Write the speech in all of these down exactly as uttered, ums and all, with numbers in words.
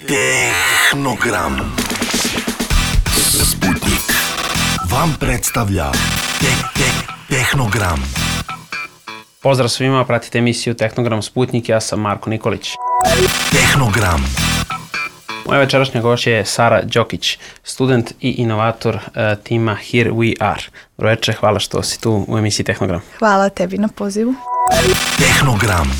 Tehnogram. Sputnik vam predstavlja te, te, Tehnogram. Pozdrav svima, pratite emisiju Tehnogram Sputnik, ja sam Marko Nikolić. Tehnogram. Moja večerašnja gošća je Sara Đokić, student i inovator uh, tima Here We Are. Dobro večer, hvala što si tu u emisiji Tehnogram. Hvala tebi na pozivu. Tehnogram.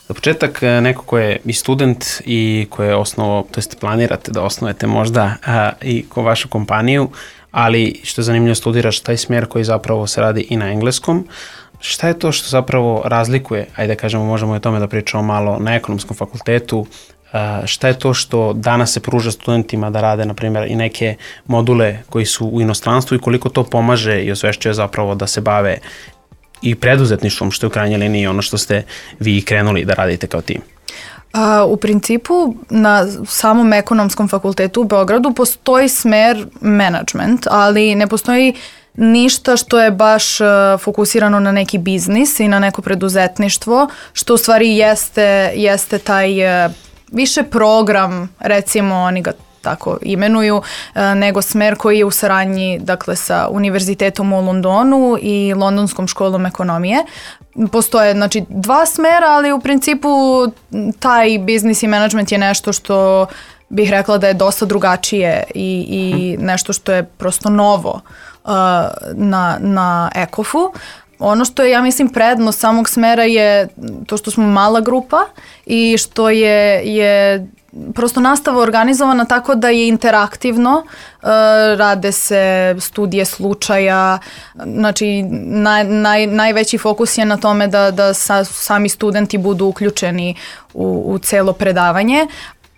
Za početak, neko ko je i student i ko je osnovao, to jest planirate da osnovete možda a, i ko vašu kompaniju, ali što je zanimljivo, studiraš taj smjer koji zapravo se radi i na engleskom. Šta je to što zapravo razlikuje, ajde da kažemo, možemo i o tome da pričamo malo, na ekonomskom fakultetu, a, šta je to što danas se pruža studentima da rade, na primjer, i neke module koji su u inostranstvu i koliko to pomaže i osvešćuje zapravo da se bave i preduzetništvom, što je u krajnjoj liniji ono što ste vi krenuli da radite kao tim? Uh, u principu na samom ekonomskom fakultetu u Beogradu postoji smer management, ali ne postoji ništa što je baš uh, fokusirano na neki biznis i na neko preduzetništvo, što u stvari jeste, jeste taj uh, više program, recimo oni ga tako imenuju, nego smer koji je u saradnji, dakle, sa Univerzitetom u Londonu i Londonskom školom ekonomije. Postoje, znači, dva smera, ali u principu taj biznis i management je nešto što bih rekla da je dosta drugačije i, i nešto što je prosto novo uh, na, na EKOF-u. Ono što je, ja mislim, prednost samog smera je to što smo mala grupa i što je, je prosto nastava organizovana tako da je interaktivno, uh, rade se studije slučaja, znači naj, naj, najveći fokus je na tome da, da sa, sami studenti budu uključeni u, u celo predavanje.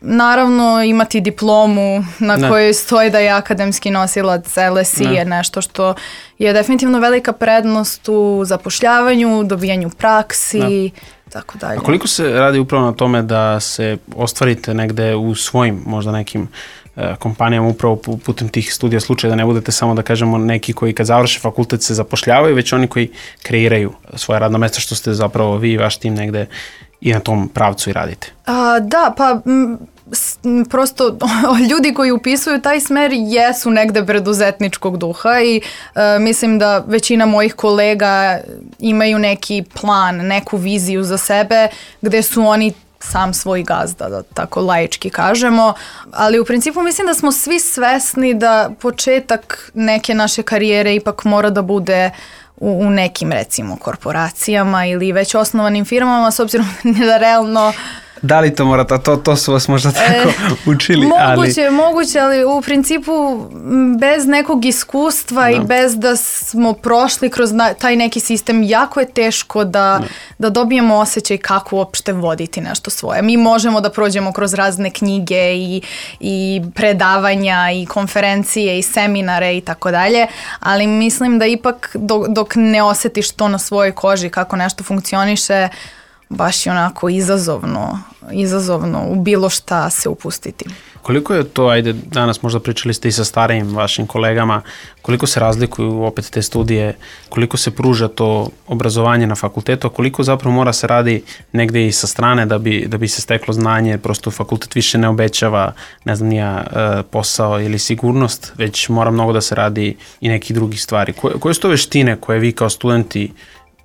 Naravno, imati diplomu na ne. kojoj stoji da je akademski nosilac L S I ne. je nešto što je definitivno velika prednost u zapošljavanju, dobijanju praksi, ne. tako dalje. A koliko se radi upravo na tome da se ostvarite negde u svojim možda nekim uh, kompanijama upravo putem tih studija slučaja, da ne budete samo, da kažemo, neki koji kad završe fakultet se zapošljavaju, već oni koji kreiraju svoje radno mesto, što ste zapravo vi i vaš tim negde i na tom pravcu i radite? A, da, pa m, s, m, prosto ljudi koji upisuju taj smer jesu negde preduzetničkog duha i a, mislim da većina mojih kolega imaju neki plan, neku viziju za sebe gde su oni sam svoj gazda, da tako laički kažemo, ali u principu mislim da smo svi svesni da početak neke naše karijere ipak mora da bude u, u nekim, recimo, korporacijama ili već osnovanim firmama, s obzirom da realno... Da li to morate, to, to su vas možda tako e, učili? Moguće, ali... moguće, ali u principu bez nekog iskustva no. i bez da smo prošli kroz na, taj neki sistem, jako je teško da, no. da dobijemo osjećaj kako uopšte voditi nešto svoje. Mi možemo da prođemo kroz razne knjige i, i predavanja i konferencije i seminare i tako dalje, ali mislim da ipak dok, dok ne osjetiš to na svojoj koži kako nešto funkcioniše, baš je onako izazovno, izazovno u bilo šta se upustiti. Koliko je to, ajde, danas možda pričali ste i sa starijim vašim kolegama, koliko se razlikuju opet te studije, koliko se pruža to obrazovanje na fakultetu, a koliko zapravo mora se radi negde i sa strane da bi, da bi se steklo znanje, prosto fakultet više ne obećava, ne znam, nija posao ili sigurnost, već mora mnogo da se radi i nekih drugih stvari. Koje, koje su to veštine koje vi kao studenti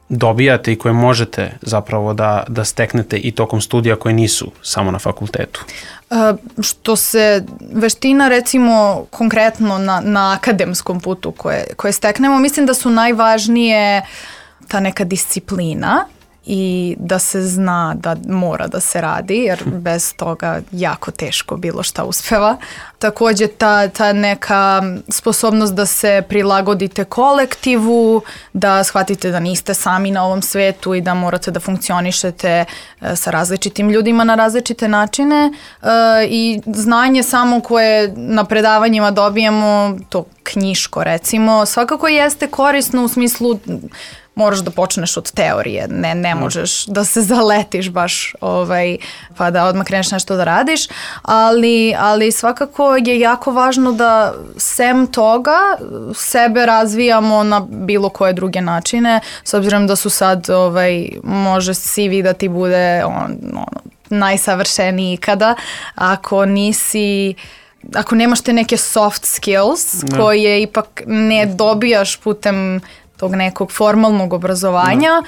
dobijate i koje možete zapravo da, da steknete i tokom studija koje nisu samo na fakultetu? Uh, što se veština, recimo, konkretno na, na akademskom putu koje, koje steknemo, mislim da su najvažnije ta neka disciplina i da se zna da mora da se radi, jer bez toga jako teško bilo šta uspeva. Takođe ta, ta neka sposobnost da se prilagodite kolektivu, da shvatite da niste sami na ovom svetu i da morate da funkcionišete sa različitim ljudima na različite načine i znanje samo koje na predavanjima dobijemo, to knjiško recimo, svakako jeste korisno u smislu moraš da počneš od teorije, ne, ne možeš da se zaletiš baš ovaj, pa da odmah kreneš nešto da radiš, ali, ali svakako je jako važno da sem toga sebe razvijamo na bilo koje druge načine, s obzirom da su sad, ovaj, može C V da ti bude on, ono, najsavršeniji ikada, ako nisi... Ako nemaš te neke soft skills Da. koje ipak ne dobijaš putem tog nekog formalnog obrazovanja,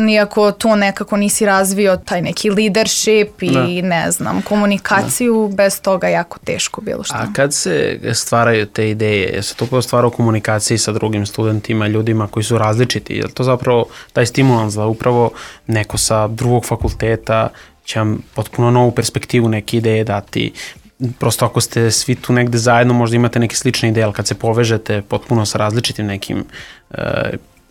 iako to nekako nisi razvio taj neki leadership i Da. ne znam, komunikaciju, bez toga jako teško bilo što. A kad se stvaraju te ideje, je se to prvo stvara u komunikaciji sa drugim studentima, ljudima koji su različiti? Je li to zapravo taj stimulans da upravo neko sa drugog fakulteta će vam potpuno novu perspektivu, neke ideje dati? Prosto ako ste svi tu negde zajedno, možda imate neke slične ideje, ali kad se povežete potpuno sa različitim nekim uh,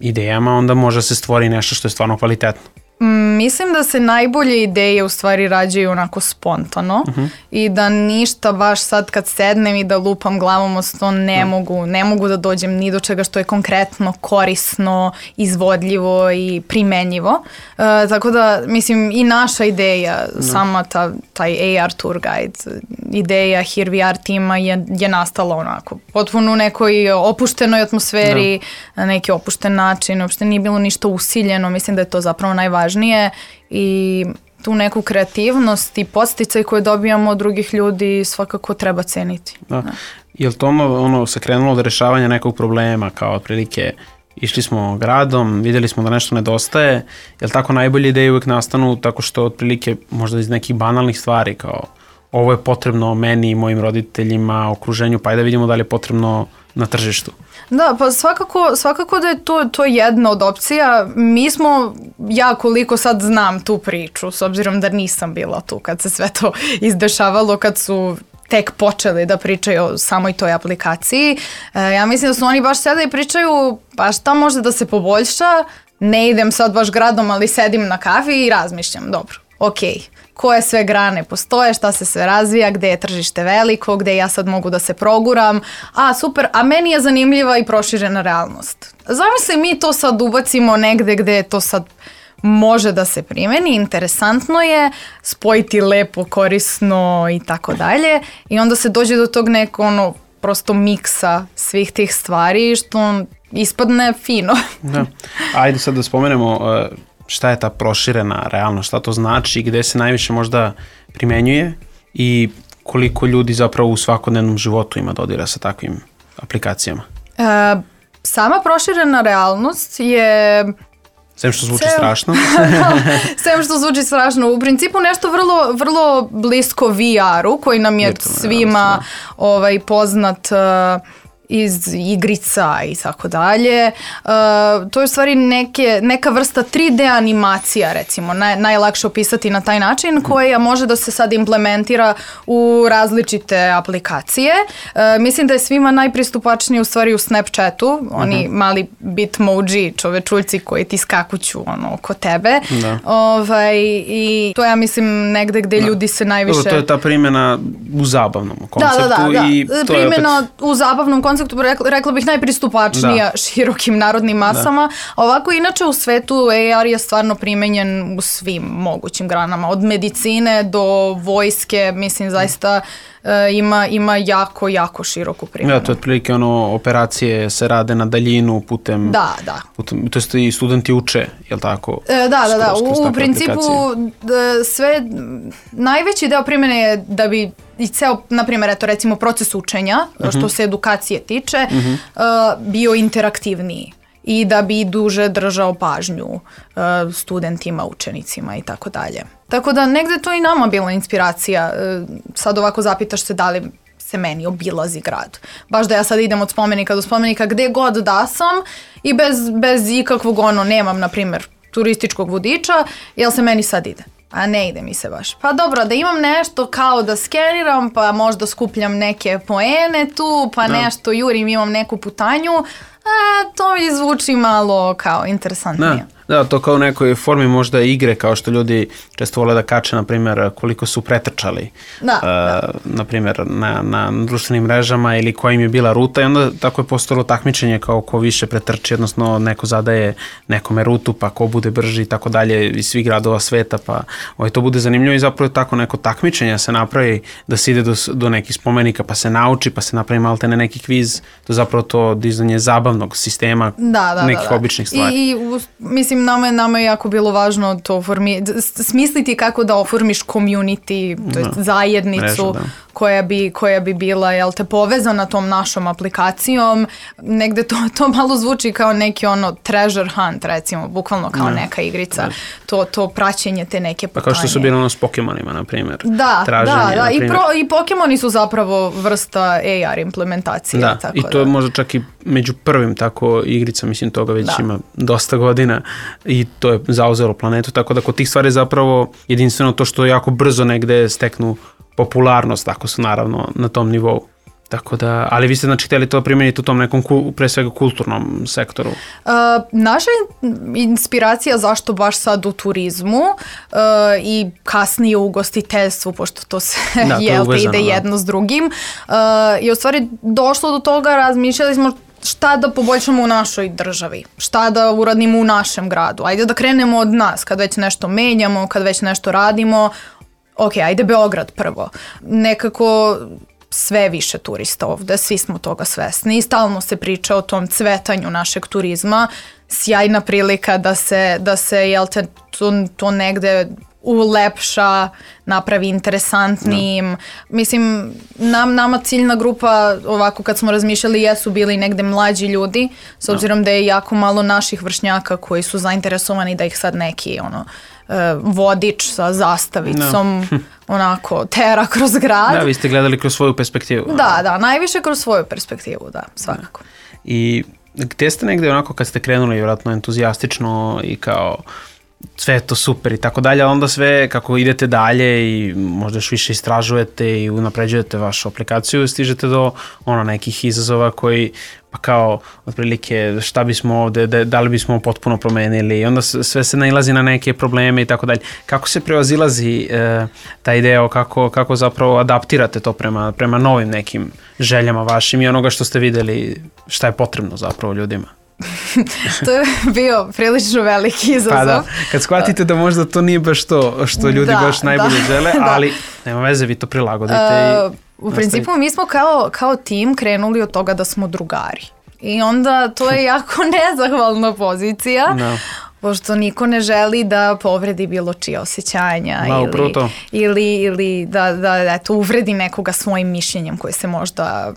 idejama, onda može se stvori nešto što je stvarno kvalitetno. Mm, Mislim da se najbolje ideje u stvari rađaju onako spontano Uh-huh. i da ništa baš sad kad sednem i da lupam glavom o sto ne mogu, ne mogu da dođem ni do čega što je konkretno, korisno, izvodljivo i primenjivo. E, tako da, mislim, i naša ideja, sama ta, taj A R tour guide, ideja Here We Are tima je, je nastala onako, potpuno u nekoj opuštenoj atmosferi, na neki opušten način, uopšte nije bilo ništa usiljeno, mislim da je to zapravo najvažnije i tu neku kreativnost i podsticaj koje dobijamo od drugih ljudi svakako treba ceniti. Da. Je li to ono, ono se krenulo od rešavanja nekog problema, kao otprilike išli smo gradom, vidjeli smo da nešto nedostaje, je li tako najbolje ideje uvijek nastanu tako što otprilike možda iz nekih banalnih stvari kao ovo je potrebno meni i mojim roditeljima, okruženju, pa ajde da vidimo da li je potrebno na tržištu. Da, pa svakako, svakako da je to, to jedna od opcija. Mi smo, ja koliko sad znam tu priču, s obzirom da nisam bila tu kad se sve to izdešavalo, kad su tek počeli da pričaju o samoj toj aplikaciji. E, ja mislim da su oni baš sada i pričaju pa šta može da se poboljša, ne idem sad baš gradom, ali sedim na kafi i razmišljam, dobro, okej. Okay. Koje sve grane postoje, šta se sve razvija, gde je tržište veliko, gde ja sad mogu da se proguram. A, super, a meni je zanimljiva i proširena realnost. Zamisli mi to sad ubacimo negde gde to sad može da se primeni, interesantno je, spojiti lepo, korisno i tako dalje. I onda se dođe do tog nekog ono, prosto miksa svih tih stvari što ispadne fino. Da. Ajde sad da spomenemo uh, šta je ta proširena realnost, šta to znači, gde se najviše možda primenjuje i koliko ljudi zapravo u svakodnevnom životu ima dodira sa takvim aplikacijama. E, sama proširena realnost je... Sem što zvuči Sem, strašno. Sem što zvuči strašno. U principu nešto vrlo, vrlo blisko V R-u koji nam je Virtualna svima realnost, ovaj, poznat uh, iz igrica i tako dalje. Uh, to je u stvari neke, neka vrsta tri D animacija, recimo, naj, najlakše opisati na taj način, koja može da se sad implementira u različite aplikacije. Uh, mislim da je svima najpristupačniji u stvari u Snapchatu, oni uh-huh. mali bitmoji čovečuljci koji ti skakuću ono, oko tebe. Da. Ovaj, i to ja mislim negde gde da. ljudi se najviše... Dobro, to je ta primjena u zabavnom konceptu. Da, da, da, da. I to primjena je opet... u zabavnom konceptu, rekla, rekla bih najpristupačnija da. širokim narodnim masama. Da. Ovako, inače u svetu A R je stvarno primenjen u svim mogućim granama. Od medicine do vojske, mislim, zaista uh, ima, ima jako, jako široku primjenu. Da, to je otprilike ono, operacije se rade na daljinu putem... Da, da. Putem, to jest i studenti uče, je li tako? E, da, da, da. Skroz, u, u principu da, sve, najveći deo primjene je da bi i ceo, na primjer, eto recimo proces učenja, uh-huh. što se edukacije tiče, uh-huh. uh, bio interaktivniji i da bi duže držao pažnju uh, studentima, učenicima i tako dalje. Tako da negde to i nama bila inspiracija. Uh, sad ovako zapitaš se da li se meni obilazi grad. Baš da ja sad idem od spomenika do spomenika gde god da sam i bez, bez ikakvog ono, nemam, na primjer, turističkog vodiča, jel se meni sad ide? A ne ide mi se baš. Pa dobro, da imam nešto kao da skeniram, pa možda skupljam neke poene tu, pa da. nešto jurim, imam neku putanju, a to mi zvuči malo kao interesantnije. Da. Da, to kao u nekoj formi možda igre, kao što ljudi često vole da kače, na primjer, koliko su pretrčali, da, uh, da. na primjer, na, na društvenim mrežama ili koja im je bila ruta i onda tako je postalo takmičenje kao ko više pretrči, odnosno neko zadaje nekome rutu, pa ko bude brži i tako dalje iz svih gradova sveta, pa ovaj, to bude zanimljivo i zapravo je tako neko takmičenje se napravi da se ide do, do nekih spomenika, pa se nauči, pa se napravi malte ne neki kviz, to zapravo to dizanje zabavnog sistema da, da, nekih da, da. običnih stvari. I, i u, mislim, mislim, nama je, nama je jako bilo važno to formi, smisliti kako da oformiš community, to jest Da. zajednicu Mrežu, da. koja bi, koja bi bila, jel te, povezana tom našom aplikacijom. Negde to, to malo zvuči kao neki ono treasure hunt, recimo, bukvalno kao Da. neka igrica. To, to praćenje te neke Pa putanje. kao što su bili ono s Pokemonima, na primjer. Da, Traženje, da, da. na I, primjer. pro, i Pokemoni su zapravo vrsta A R implementacije. Da, tako i to je da. možda čak i među prvim tako igrica, mislim toga već Da. ima dosta godina i to je zauzelo planetu, tako da kod tih stvari zapravo jedinstveno to što jako brzo negde steknu popularnost, tako su naravno na tom nivou. Tako da, ali vi ste znači htjeli to primijeniti u tom nekom ku, pre svega kulturnom sektoru. Uh, naša inspiracija zašto baš sad u turizmu uh, i kasnije u ugostiteljstvu, pošto to se Da, to je jel te uvezano, ide da. jedno s drugim, uh, je u stvari došlo do toga, razmišljali smo šta da poboljšamo u našoj državi, šta da uradimo u našem gradu. Ajde da krenemo od nas, kad već nešto menjamo, kad već nešto radimo, ok, ajde Beograd prvo. Nekako sve više turista ovde, svi smo toga svesni i stalno se priča o tom cvetanju našeg turizma, sjajna prilika da se, da se jel te, to, to negde ulepša, napravi interesantnijim. Mislim, nam, nama ciljna grupa, ovako kad smo razmišljali, jesu bili negde mlađi ljudi, s obzirom da je jako malo naših vršnjaka koji su zainteresovani da ih sad neki ono, e, vodič sa zastavicom onako tera kroz grad. Da, vi ste gledali kroz svoju perspektivu. Da, da, najviše kroz svoju perspektivu, da, svakako. I gdje ste negdje onako kad ste krenuli vjerojatno entuzijastično i kao sve je to super i tako dalje, a onda sve kako idete dalje i možda još više istražujete i unapređujete vašu aplikaciju, stižete do ono nekih izazova koji pa kao otprilike šta bismo ovdje, da, da li bismo potpuno promenili i onda sve se nailazi na neke probleme i tako dalje. Kako se prevazilazi e, ta ideja, kako, kako zapravo adaptirate to prema, prema novim nekim željama vašim i onoga što ste vidjeli šta je potrebno zapravo ljudima? To je bio prilično veliki izazov. Pa da, kad shvatite da možda to nije baš to što ljudi Da, baš najbolje da, žele, da. ali nema veze, vi to prilagodite. Uh, i u principu mi smo kao, kao tim krenuli od toga da smo drugari. I onda to je jako nezahvalna pozicija. Da. Pošto niko ne želi da povredi bilo čije osjećanja Da, upravo ili, to. ili, ili da, da eto, uvredi nekoga svojim mišljenjem koje se možda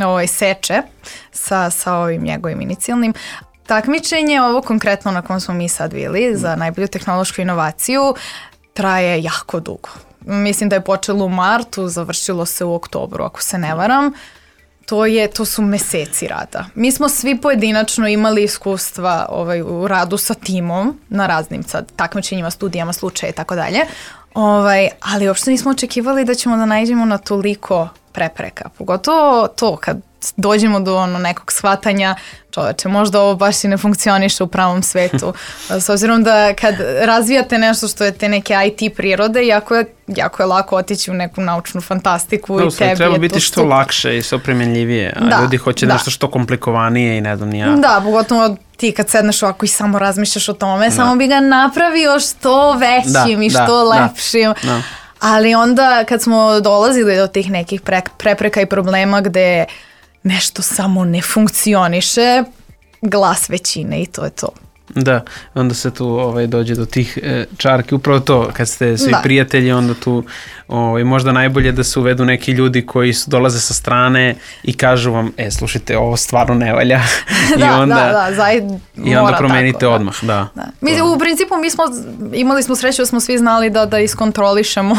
ovaj, seče sa, sa ovim njegovim inicijalnim. Takmičenje, ovo konkretno na kom smo mi sad bili za najbolju tehnološku inovaciju, traje jako dugo. Mislim da je počelo u martu, završilo se u oktobru, ako se ne varam. To, je, to su meseci rada. Mi smo svi pojedinačno imali iskustva ovaj, u radu sa timom na raznim sad takmičenjima, studijama, slučaje i tako dalje. Ovaj, ali uopšte nismo očekivali da ćemo da naiđemo na toliko prepreka. Pogotovo to kad dođemo do ono nekog shvatanja, čoveče, možda ovo baš i ne funkcioniše u pravom svetu. S obzirom da kad razvijate nešto što je te neke I T prirode, jako je, jako je lako otići u neku naučnu fantastiku Da, i tebi treba je biti to što super. lakše i što primjenljivije, a Da, ljudi hoće da. nešto što komplikovanije i ne znam ni ja. Da, pogotovo ti kad sedneš ovako i samo razmišljaš o tome, samo bi ga napravio što većim Da, i da, što da, lepšim. da. Ali onda kad smo dolazili do tih nekih pre- prepreka i problema gde nešto samo ne funkcioniše, glas većine i to je to. Da, onda se tu ovaj, dođe do tih e, čarki, upravo to, kad ste svi Da. prijatelji, onda tu ovaj, možda najbolje da se uvedu neki ljudi koji su, dolaze sa strane i kažu vam, e, slušajte, ovo stvarno ne valja. I da, onda, da, da, zaj, i onda mora promenite tako, da. odmah, da. Da. Mi, u principu mi smo, imali smo sreću da smo svi znali da, da iskontrolišemo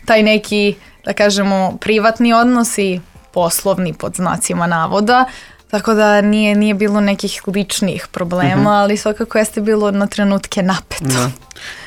taj neki, da kažemo, privatni odnos i poslovni pod znacima navoda, tako da nije, nije bilo nekih ličnih problema, Mhm. ali svakako jeste bilo na trenutke napeto. Da.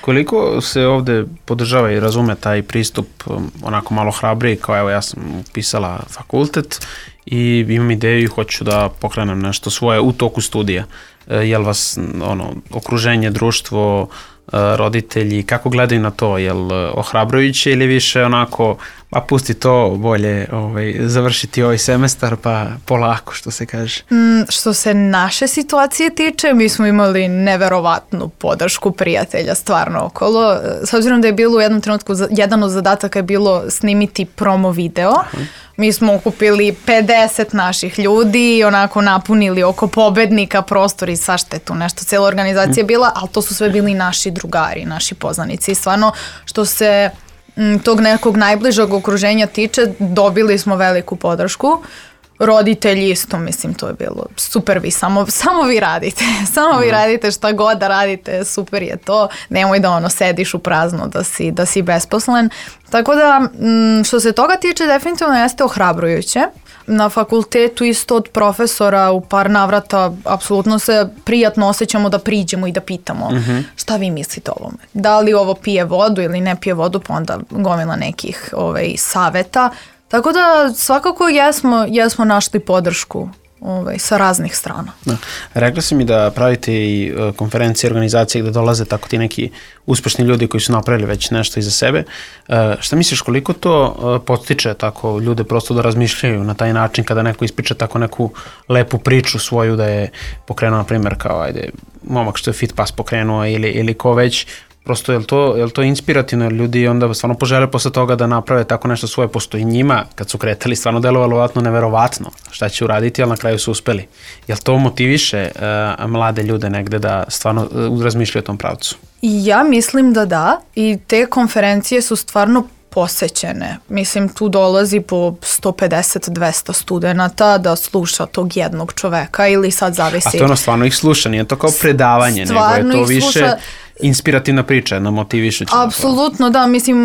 Koliko se ovdje podržava i razume taj pristup um, onako malo hrabriji, kao evo ja sam upisala fakultet i imam ideju i hoću da pokrenem nešto svoje u toku studija. E, jel vas ono, okruženje, društvo, e, roditelji, kako gledaju na to? Jel ohrabrujuće ili više onako, pa pusti to, bolje ovaj, završiti ovaj semestar pa polako, što se kaže? Mm, što se naše situacije tiče, mi smo imali neverovatnu podršku prijatelja stvarno okolo. S obzirom da je bilo u jednom trenutku, jedan od zadataka je bilo snimiti promo video, Mi smo okupili pedeset naših ljudi i onako napunili oko pobednika prostor i svašta je tu nešto. Cijela organizacija je bila, ali to su sve bili naši drugari, naši poznanici. I stvarno, što se m, tog nekog najbližeg okruženja tiče, dobili smo veliku podršku. Roditelji isto, mislim, to je bilo super, vi samo, samo vi radite, samo vi radite šta god da radite, super je to, nemoj da ono sediš u prazno, da si, da si besposlen. Tako da, što se toga tiče, definitivno jeste ohrabrujuće. Na fakultetu isto od profesora u par navrata apsolutno se prijatno osjećamo da priđemo i da pitamo uh-huh. šta vi mislite o ovome. Da li ovo pije vodu ili ne pije vodu, pa onda gomila nekih ovaj, saveta. Tako da svakako jesmo, jesmo našli podršku ovaj, sa raznih strana. Da. Rekla si mi da pravite i uh, konferencije, organizacije gde dolaze tako ti neki uspešni ljudi koji su napravili već nešto iza sebe. Uh, šta misliš koliko to uh, podstiče tako ljude prosto da razmišljaju na taj način kada neko ispriča tako neku lepu priču svoju da je pokrenuo, na primjer, kao ajde, momak što je FitPass pokrenuo ili, ili ko već. Prosto je li to, je li to inspirativno, jer ljudi onda stvarno požele posle toga da naprave tako nešto svoje, posto i njima kad su kretali stvarno delovalo vjerojatno neverovatno šta će uraditi, ali na kraju su uspeli. Je li to motiviše uh, mlade ljude negde da stvarno uh, razmišljaju o tom pravcu? Ja mislim da da, i te konferencije su stvarno posećene. Mislim, tu dolazi po sto pedeset do dvesta studenata da sluša tog jednog čoveka ili sad zavisi. A to je ono stvarno ih sluša, nije to kao predavanje, stvarno nego je to više sluša... inspirativna priča, na motivišuća. Apsolutno, da. Mislim,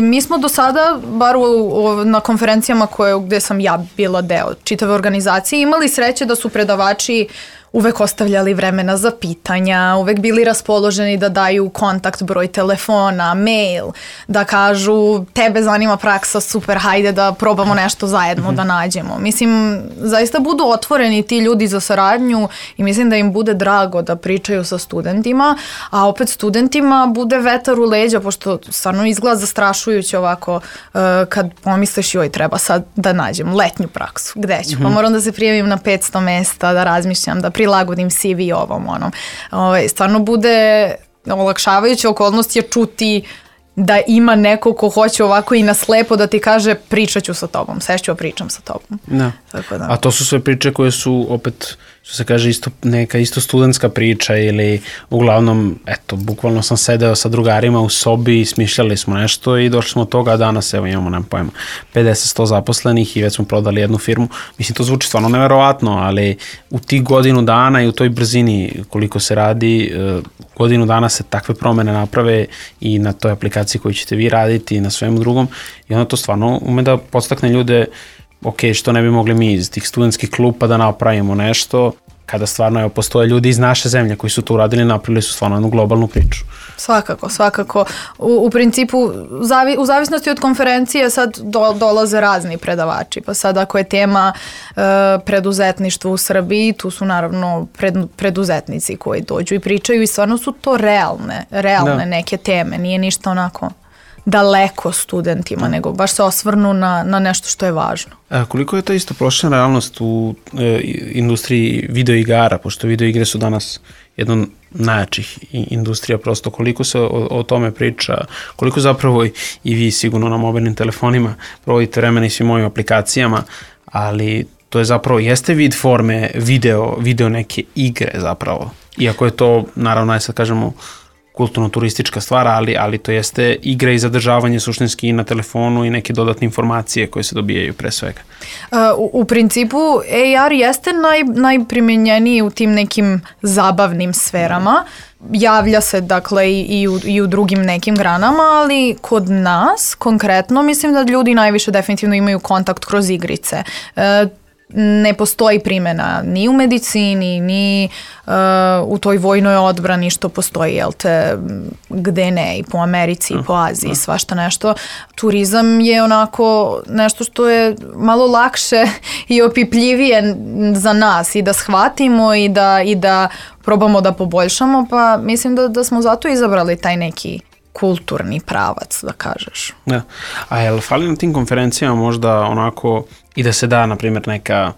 mi smo do sada, bar u, u, na konferencijama koje, gde sam ja bila deo čitave organizacije, imali sreće da su predavači uvek ostavljali vremena za pitanja, uvek bili raspoloženi da daju kontakt, broj telefona, mail, da kažu tebe zanima praksa, super, hajde da probamo nešto zajedno mm-hmm. da nađemo. Mislim, zaista budu otvoreni ti ljudi za saradnju i mislim da im bude drago da pričaju sa studentima, a opet studentima bude vetar u leđa, pošto stvarno izgleda zastrašujuće ovako uh, kad pomisliš joj treba sad da nađem letnju praksu, gde ću? Mm-hmm. Pa moram da se prijavim na petsto mesta, da razmišljam, da prilagodim C V ovom onom. Ovaj, stvarno bude olakšavajuća okolnost je čuti da ima neko ko hoće ovako i na slepo da ti kaže pričat ću sa tobom, sešću, pričam sa tobom. Da. Tako da. A to su sve priče koje su opet, što se kaže, isto, neka isto studentska priča ili uglavnom, eto, bukvalno sam sedeo sa drugarima u sobi i smišljali smo nešto i došli smo od toga, a danas evo imamo, nemam pojma, pedeset do sto zaposlenih i već smo prodali jednu firmu. Mislim, to zvuči stvarno neverovatno, ali u tih godinu dana i u toj brzini koliko se radi, godinu dana se takve promene naprave i na toj aplikaciji koju ćete vi raditi i na svemu drugom i onda to stvarno ume da podstakne ljude, ok, što ne bi mogli mi iz tih studentskih klupa da napravimo nešto, kada stvarno evo, postoje ljudi iz naše zemlje koji su to uradili, napravili su stvarno jednu globalnu priču. Svakako, svakako. U, u principu, zavi, u zavisnosti od konferencije sad do, dolaze razni predavači, pa sad ako je tema e, preduzetništvo u Srbiji, tu su naravno pred, preduzetnici koji dođu i pričaju i stvarno su to realne, realne da. Neke teme, nije ništa onako daleko studentima, nego baš se osvrnu na, na nešto što je važno. A koliko je to isto prošla realnost u e, industriji videoigara, pošto videoigre su danas jedna najjačih industrija, prosto koliko se o, o tome priča, koliko zapravo i, i vi sigurno na mobilnim telefonima provodite vremena i svim ovim aplikacijama, ali to je zapravo, jeste vid forme video, video neke igre zapravo, iako je to, naravno, aj sad kažemo, kulturno-turistička stvar, ali, ali to jeste igra i zadržavanje suštinski i na telefonu i neke dodatne informacije koje se dobijaju pre svega. Uh, u, u principu A R jeste naj, najprimjenjeniji u tim nekim zabavnim sferama. Javlja se dakle i, i, u, i u drugim nekim granama, ali kod nas konkretno mislim da ljudi najviše definitivno imaju kontakt kroz igrice. Uh, ne postoji primjena ni u medicini, ni uh, u toj vojnoj odbrani što postoji, jel te, gde ne, i po Americi, i po Aziji, svašta nešto. Turizam je onako nešto što je malo lakše i opipljivije za nas i da shvatimo i da, i da probamo da poboljšamo, pa mislim da, da smo zato izabrali taj neki kulturni pravac, da kažeš. Da. A je li fali na tim konferencijama možda onako i da se da, na primjer, neka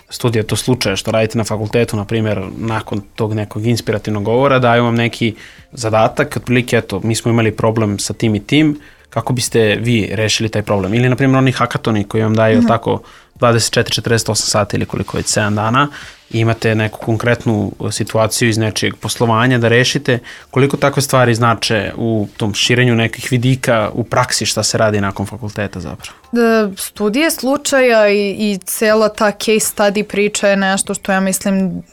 studija, to slučaje što radite na fakultetu, na primjer, nakon tog nekog inspirativnog govora, daju vam neki zadatak, otprilike, eto, mi smo imali problem sa tim i tim, kako biste vi rešili taj problem? Ili, na primjer, oni hakatoni koji vam daju mm-hmm. tako dvadeset četiri četrdeset osam sati ili koliko već sedam dana i imate neku konkretnu situaciju iz nečijeg poslovanja da rešite, koliko takve stvari znače u tom širenju nekih vidika u praksi šta se radi nakon fakulteta zapravo? Da, studije slučaja i, i cela ta case study priča je nešto što ja mislim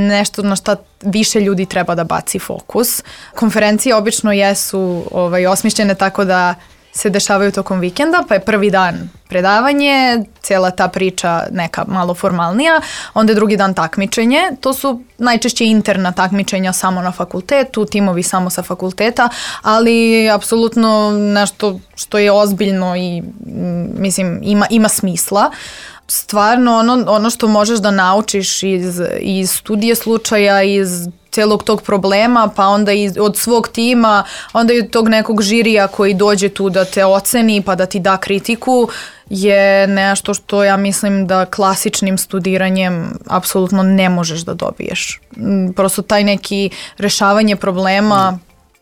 nešto na šta više ljudi treba da baci fokus. Konferencije obično jesu ovaj, osmišljene tako da se dešavaju tokom vikenda, pa je prvi dan predavanje, cijela ta priča neka malo formalnija, onda je drugi dan takmičenje. To su najčešće interna takmičenja samo na fakultetu, timovi samo sa fakulteta, ali apsolutno nešto što je ozbiljno i mislim ima, ima smisla. Stvarno ono, ono što možeš da naučiš iz, iz studije slučaja, iz celog tog problema, pa onda iz, od svog tima, onda i od tog nekog žirija koji dođe tu da te oceni pa da ti da kritiku, je nešto što ja mislim da klasičnim studiranjem apsolutno ne možeš da dobiješ. Prosto taj neki rešavanje problema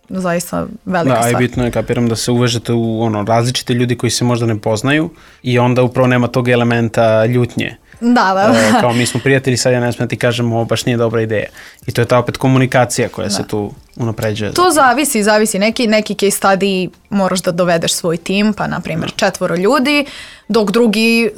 zaista velika da, stvar. Da, i bitno je, kapiram, da se uvežete u ono, različite ljudi koji se možda ne poznaju i onda upravo nema tog elementa ljutnje. Da, da. E, kao mi smo prijatelji, sad ja ne smijem ti kažem ovo baš nije dobra ideja. I to je ta opet komunikacija koja da. se tu unapređuje. To zavisi, zavisi. Neki, neki case study moraš da dovedeš svoj tim, pa na primjer četvoro ljudi, dok drugi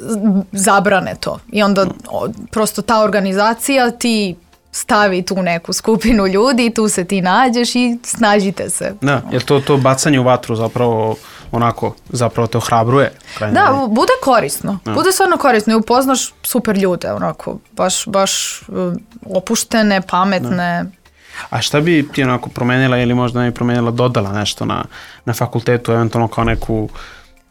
zabrane to. I onda o, prosto ta organizacija ti stavi tu neku skupinu ljudi, tu se ti nađeš i snažite se. Da, jer to, to bacanje u vatru zapravo onako, zapravo te ohrabruje. Da, bude korisno. Da. Bude stvarno korisno i upoznaš super ljude, onako, baš, baš opuštene, pametne. Da. A šta bi ti onako promenila ili možda ne bi promenila, dodala nešto na, na fakultetu, eventualno kao neku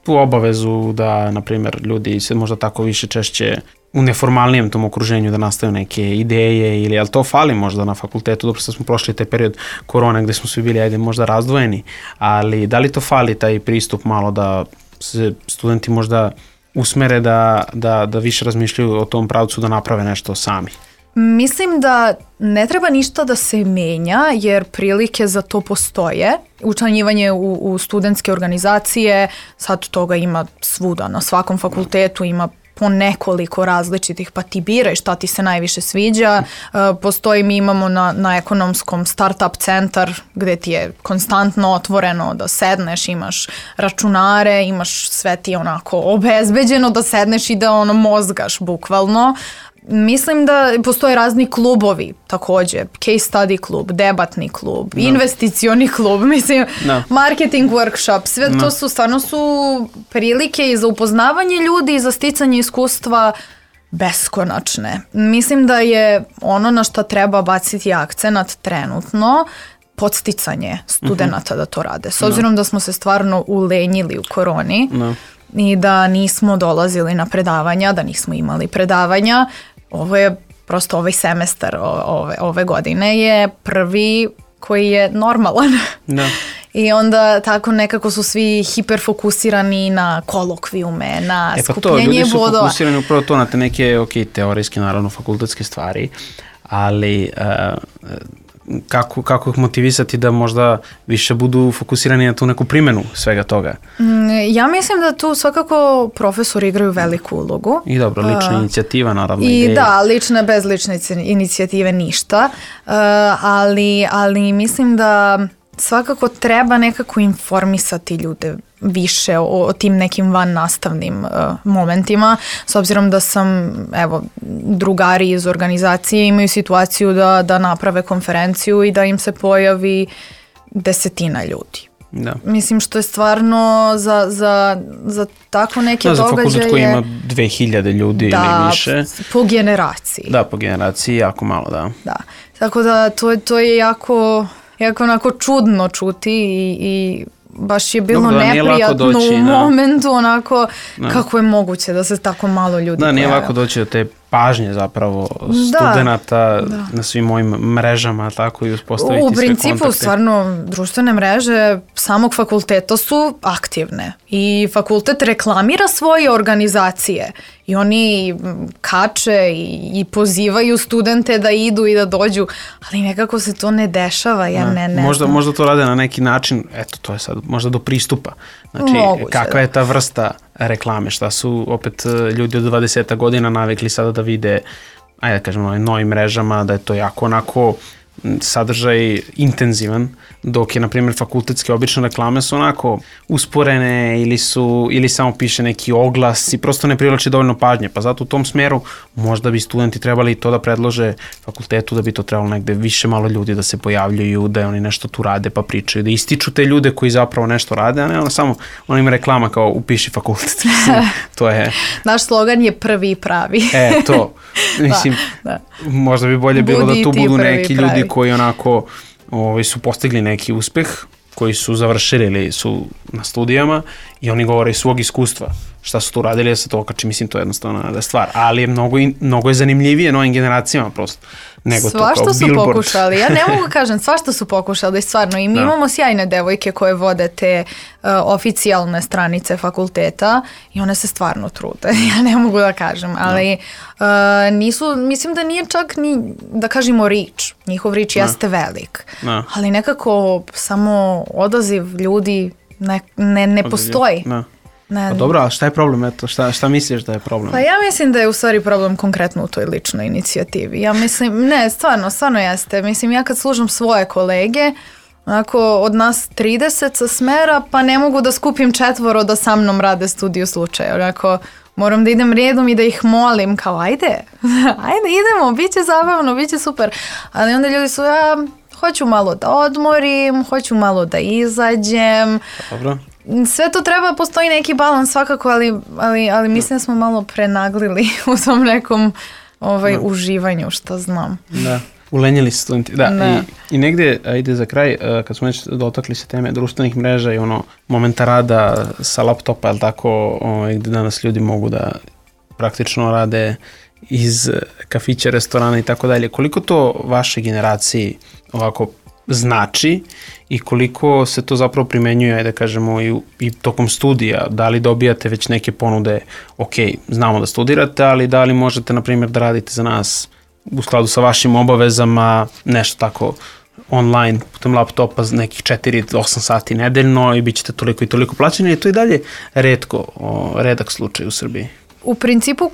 tu obavezu da, na primjer, ljudi se možda tako više češće u neformalnijem tom okruženju da nastaju neke ideje ili, ali to fali možda na fakultetu, dobro što smo prošli taj period korone gde smo svi bili, ajde, možda razdvojeni, ali da li to fali taj pristup malo da se studenti možda usmere da, da, da više razmišljaju o tom pravcu da naprave nešto sami? Mislim da ne treba ništa da se menja jer prilike za to postoje. Učlanjivanje u, u studentske organizacije, sad toga ima svuda, na svakom fakultetu ima po nekoliko različitih, pa ti biraj šta ti se najviše sviđa. Uh, postoji, mi imamo na, na ekonomskom startup centar gde ti je konstantno otvoreno da sedneš, imaš računare, imaš sve ti onako obezbeđeno da sedneš i da ono mozgaš bukvalno. Mislim da postoje razni klubovi također, case study klub, debatni klub, no. investicioni klub, mislim, no. marketing workshop, sve no. to su stvarno su prilike i za upoznavanje ljudi i za sticanje iskustva beskonačne. Mislim da je ono na što treba baciti akcenat trenutno podsticanje studenata uh-huh. da to rade. S obzirom no. da smo se stvarno ulenjili u koroni no. i da nismo dolazili na predavanja, da nismo imali predavanja, ovo je prosto ovaj semestar ove, ove godine je prvi koji je normalan. Da. I onda tako nekako su svi hiperfokusirani na kolokvijume, na e pa skupljenje bodova. Ljudi su bodova. fokusirani upravo to na te neke, ok, teorijske, naravno, fakultetske stvari, ali uh, kako, kako ih motivisati da možda više budu fokusirani na tu neku primjenu svega toga? Ja mislim da tu svakako profesori igraju veliku ulogu. I dobro, lična uh, inicijativa naravno. I ideje. Da, lične bez lične inicijative ništa, uh, ali, ali mislim da svakako treba nekako informisati ljude više o, o tim nekim van nastavnim uh, momentima, s obzirom da sam, evo, drugari iz organizacije imaju situaciju da, da naprave konferenciju i da im se pojavi desetina ljudi. Da. Mislim što je stvarno za, za, za tako neke da, događaje... Za fakultet koji ima dve hiljade ljudi da, ili više. Po generaciji. Da, po generaciji jako malo, da. Da, tako da to, to je jako... jako onako čudno čuti i, i baš je bilo Dobro, neprijatno doći, u da. momentu onako da. Kako je moguće da se tako malo ljudi Da, nije pojavio. lako doći do te pažnje zapravo Da, studenata da. na svim mojim mrežama, tako i uspostaviti U sve principu, kontakte. stvarno, društvene mreže samog fakulteta su aktivne i fakultet reklamira svoje organizacije i oni kače i, i pozivaju studente da idu i da dođu, ali nekako se to ne dešava, ja ne, ne možda, znam. možda to rade na neki način, eto, to je sad možda do pristupa. Znači, Moguće, kakva da. je ta vrsta reklame, šta su opet ljudi od dvadeset godina navikli sada da vide, ajde da kažem, na ovim novim mrežama, da je to jako onako sadržaj intenzivan, dok je, na primjer, fakultetske obične reklame su onako usporene ili su, ili samo piše neki oglas i prosto ne privlači dovoljno pažnje, pa zato u tom smeru možda bi studenti trebali to da predlože fakultetu, da bi to trebalo negde više malo ljudi da se pojavljuju, da oni nešto tu rade pa pričaju, da ističu te ljude koji zapravo nešto rade, a ne ono samo ono ima reklama kao upiši fakultet. To je... Naš slogan je prvi i pravi. E, to. Mislim, da, da. Možda bi bolje bilo Budi da tu ti budu prvi neki pravi. ljudi koji onako ovaj, su postigli neki uspeh, koji su završili ili su na studijama i oni govore iz svog iskustva šta su tu radili, da se to okači, mislim, to je jednostavna stvar, ali je mnogo, mnogo je zanimljivije novim generacijama prosto, nego Svašta to kao su billboard. pokušali, ja ne mogu kažem, svašta su pokušali, stvarno, i mi Da. imamo sjajne devojke koje vode te uh, oficijalne stranice fakulteta i one se stvarno trude, ja ne mogu da kažem, ali uh, nisu, mislim da nije čak ni, da kažemo reach, njihov reach Da. jeste velik, Da. ali nekako samo odaziv ljudi ne, ne, ne postoji. Da. Ne, Pa dobro, a šta je problem? Eto, šta, šta misliš da je problem? Pa ja mislim da je u stvari problem konkretno u toj ličnoj inicijativi. Ja mislim, ne, stvarno, stvarno jeste. Mislim, ja kad slušam svoje kolege, onako od nas trideset sa smera, pa ne mogu da skupim četvoro da sa mnom rade studiju slučaja. Onako, moram da idem redom i da ih molim kao, ajde, ajde, idemo, bit će zabavno, bit će super. Ali onda ljudi su, ja hoću malo da odmorim, hoću malo da izađem. Dobro. Sve to treba, postoji neki balans svakako, ali, ali, ali mislim da smo malo prenaglili u tom nekom ovaj, Da. uživanju, što znam. Da, ulenjili se studenti. Da, Da. I, i negde, ajde za kraj, uh, kad smo već dotakli se teme društvenih mreža i ono momenta rada sa laptopa, je li tako, ovaj, gde danas ljudi mogu da praktično rade iz kafića, restorana i tako dalje. Koliko to vašoj generaciji ovako znači i koliko se to zapravo primenjuje, ajde da kažemo, i, i tokom studija, da li dobijate već neke ponude, ok, znamo da studirate, ali da li možete, na primjer, da radite za nas u skladu sa vašim obavezama, nešto tako online, putem laptopa nekih četiri do osam sati nedeljno i bit ćete toliko i toliko plaćeni, je to i dalje retko, o, redak slučaj u Srbiji. U principu,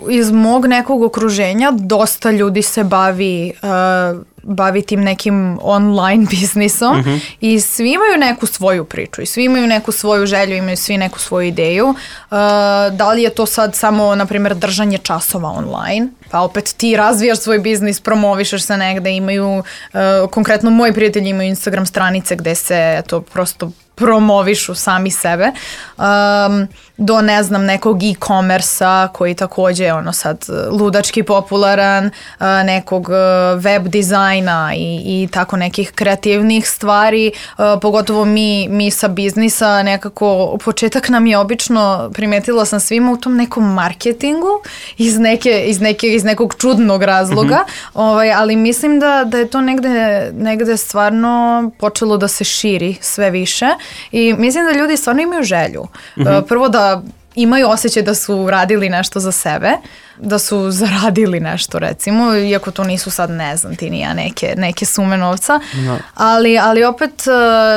iz mog nekog okruženja dosta ljudi se bavi, uh, bavi tim nekim online biznisom Mhm. i svi imaju neku svoju priču i svi imaju neku svoju želju, imaju svi neku svoju ideju. Uh, da li je to sad samo, na primjer, držanje časova online, pa opet ti razvijaš svoj biznis, promovišeš se negde, imaju, uh, konkretno moji prijatelji imaju Instagram stranice gde se to prosto promovišu sami sebe, um, do ne znam nekog e-commerce-a koji takođe je ono sad ludački popularan, uh, nekog uh, web dizajna i, i tako nekih kreativnih stvari, uh, pogotovo mi, mi sa biznisa nekako, početak nam je obično, primetila sam svima u tom nekom marketingu iz, neke, iz, neke, iz nekog čudnog razloga, mm-hmm. ovaj, ali mislim da, da je to negde, negde stvarno počelo da se širi sve više i mislim da ljudi stvarno imaju želju. Mm-hmm. Uh, prvo da imaju osjećaj da su radili nešto za sebe, da su zaradili nešto recimo, iako to nisu sad ne znam ti ni ja neke, neke sume novca, No. ali, ali opet uh,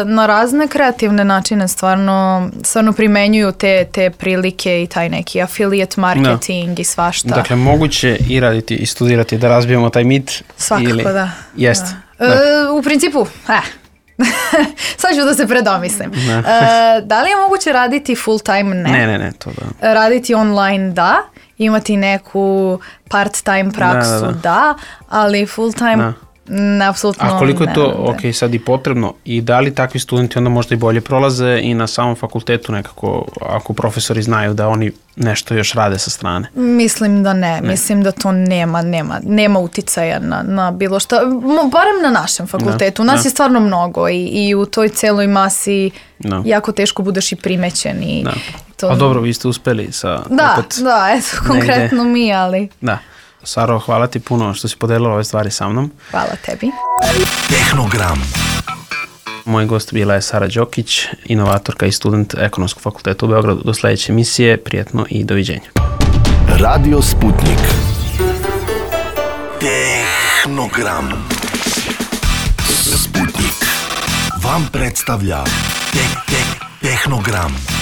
na razne kreativne načine stvarno, stvarno primenjuju te, te prilike i taj neki affiliate marketing no. i svašta. Dakle, moguće i raditi i studirati da razbijemo taj mit? Svakako ili... da. Jeste. Da. Da. E, u principu, eh. sad ću da se predomislim. Ne. E, da li je moguće raditi full time? Ne. Ne, ne, ne, to da. Raditi online? Da. Imati neku part time praksu? Da, da, da. da ali full time? Da. Ne, apsolutno ne. A koliko je to, ne, ok, sad i potrebno i da li takvi studenti onda možda i bolje prolaze i na samom fakultetu nekako, ako profesori znaju da oni nešto još rade sa strane? Mislim da ne, ne. mislim da to nema, nema, nema uticaja na, na bilo šta, barem na našem fakultetu, nas da. je stvarno mnogo i, i u toj celoj masi da. jako teško budeš i primećen i da. to... A dobro, vi ste uspeli sa Da, opet da, eto, konkretno negde. Mi, ali... Da. Saro, hvala ti puno što si podelila ove stvari sa mnom. Hvala tebi. Tehnogram. Moj gost bila je Sara Đokić, inovatorka i student Ekonomskog fakulteta u Beogradu. Do sledeće emisije, prijetno i doviđenja. Radio Sputnik. Tehnogram. Sputnik vam predstavlja te, te, Tehnogram.